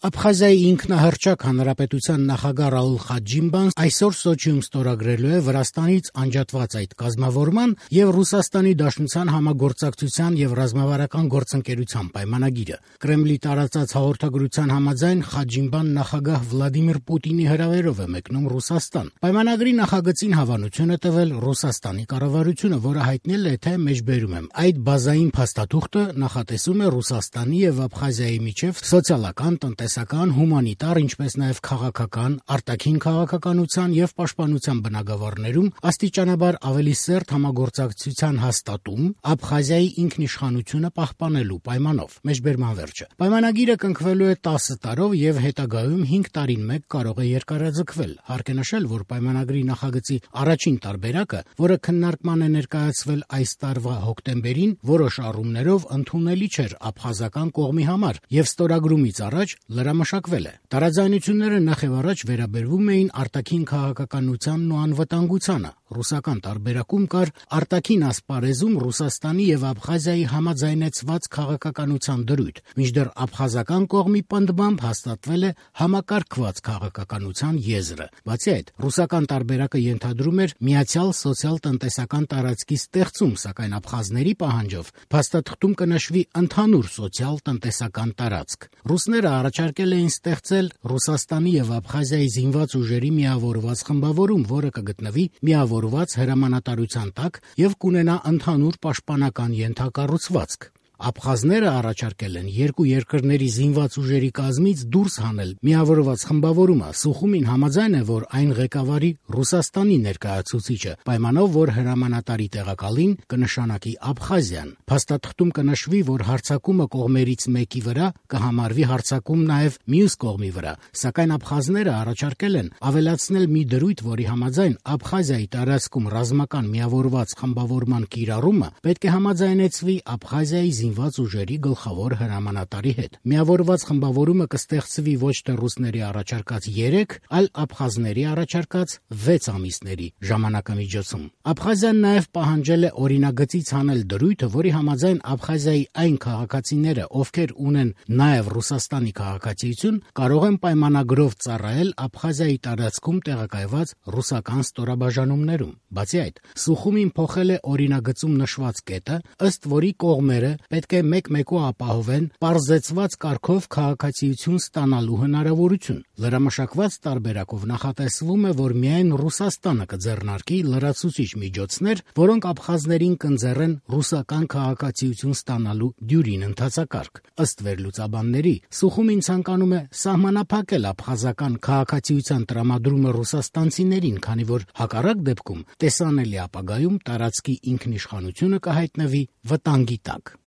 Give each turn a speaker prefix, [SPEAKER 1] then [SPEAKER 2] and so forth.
[SPEAKER 1] Աբխազիայի ինքնահռչակ հանրապետության նախագահ Ռաուլ Խաջիմբան այսօր Սոչիում ստորագրելու է Վրաստանից անջատված այդ կազմավորման եւ Ռուսաստանի Դաշնության համագործակցության եւ ռազմավարական գործընկերության պայմանագիրը։ Կրեմլի տարածած հաղորդագրության համաձայն Խաջիմբան նախագահ Վլադիմիր Պուտինի հրավերով է մեկնում Ռուսաստան։ Պայմանագրի նախագծին հավանություն է տվել Ռուսաստանի կառավարությունը, որը հայտնել է, թե մեջբերում եմ այդ բազային փաստաթուղթը նախատեսում է Ռուսաստանի եւ Աբխազիայի միջև սոցիալական, տնտեսական, հումանիտար, ինչպես նաև քաղաքական, արտաքին քաղաքականության եւ պաշտպանության բնագավառներում աստիճանաբար ավելի սերտ համագործակցության հաստատում Աբխազիայի ինքնիշխանությունը պահպանելու պայմանով։ Մեջբերման վերջը։ Պայմանագիրը կնքվելու է 10 տարով եւ հետագայում 5 տարին մեկ կարող է երկարաձգվել։ Հարկ է նշել, որ պայմանագրի նախագծի առաջին տարբերակը, որը քննարկման է ներկայացվել այս տարվա հոկտեմբերին, որոշ առումներով ընդունելի չէր աբխազական կողմի համար եւ ստորագրումից առաջ լրամշակվել է։ Տարաձայնությունները նախևառաջ վերաբերվում էին արտաքին քաղաքականությանն ու անվտանգությանը։ Ռուսական տարբերակում կար արտաքին ասպարեզում Ռուսաստանի եւ Աբխազիայի համաձայնեցված քաղաքականության դրույթ, մինչդեռ աբխազական կողմի պնդմամբ հաստատվել է համակարգված քաղաքականության եզրը։ Բացի այդ, ռուսական տարբերակը ենթադրում էր միացյալ սոցիալ-տնտեսական տարածքի ստեղծում, սակայն աբխազների պահանջով փաստաթղթում կնշվի ընդհանուր սոցիալ-տնտեսական տարածք։ Ռուսները առաջարկել էին ստեղծել Ռուսաստանի եւ Աբխազիայի զինված ուժերի միավորված խմբավորում, որը կգտնվի միավորված հրամանատարության տակ եւ կունենա ընդհանուր պաշտպանական ենթակառուցվածք։ Աբխազները առաջարկել են երկու երկրների զինված ուժերի կազմից դուրս հանել միավորված խմբավորումը։ Սուխումին համաձայն է, որ այն ղեկավարի Ռուսաստանի ներկայացուցիչը, պայմանով, որ հրամանատարի տեղակալին կնշանակի Աբխազիան։ Փաստաթղթում կնշվի, որ հարձակումը կողմերից մեկի վրա կհամարվի հարձակում նաև մյուս կողմի վրա, սակայն աբխազները առաջարկել են ավելացնել մի դրույթ, որի համաձայն Աբխազիայի տարածքում ռազմական միավորված խմբավորման կիրառումը պետք է համաձայնեցվի Աբխազիայի զինված ուժերի գլխավոր հրամանատարի հետ։ Միավորված խմբավորումը կստեղծվի ոչ թե ռուսների առաջարկած 3, այլ աբխազների առաջարկած 6 ամիսների ժամանակամիջոցում։ Աբխազիան նաև պահանջել է օրինագծից հանել դրույթը, որի համաձայն Աբխազիայի այն քաղաքացիները, ովքեր ունեն նաև Ռուսաստանի քաղաքացիություն, կարող են պայմանագրով ծառայել Աբխազիայի տարածքում տեղակայված ռուսական ստորաբաժանումներում։ Բացի այդ, Սուխումին փոխել է օրինագծում նշված կետը, ըստ որի կողմերը պետք է մեկ-մեկու ապահովեն պարզեցված կարգով քաղաքացիություն ստանալու հնարավորություն։ Լրամշակված տարբերակով նախատեսվում է, որ միայն Ռուսաստանը կձեռնարկի լրացուցիչ միջոցներ, որոնք աբխազներին կընձեռեն ռուսական քաղաքացիություն ստանալու դյուրին ընթացակարգ։ Ըստ վերլուծաբանների, Սուխումին ցանկանում է սահմանափակել աբխազական քաղաքացիության տրամադրումը ռուսաստանցիներին, քանի որ հակառակ դեպքում տեսանելի ապագայում տարածքի ինքնիշխանությունը կհայտնվի վտանգի տակ։